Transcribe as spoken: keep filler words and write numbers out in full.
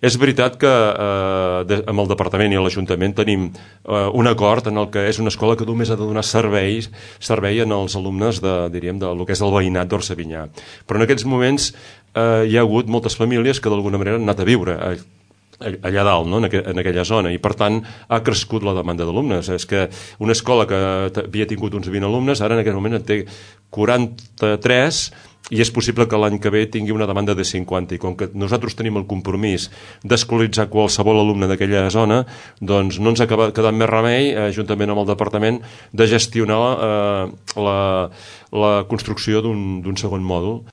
És veritat que eh, de, amb el departament i l'Ajuntament tenim eh, un acord en el que és una escola que només ha de donar serveis, servei en els alumnes de, diríem, de lo que és el veïnat d'Orsavinyà. Però en aquests moments eh, hi ha hagut moltes famílies que d'alguna manera han anat a viure a, allà dalt, no? en, aqu en aquella zona, i per tant ha crescut la demanda d'alumnes. És que una escola que havia tingut uns vint alumnes ara en aquest moment en té quaranta-tres, i és possible que l'any que ve tingui una demanda de cinquanta, i com que nosaltres tenim el compromís d'escolaritzar qualsevol alumne d'aquella zona, doncs no ens ha quedat més remei, eh, juntament amb el departament, de gestionar eh, la, la construcció d'un segon mòdul.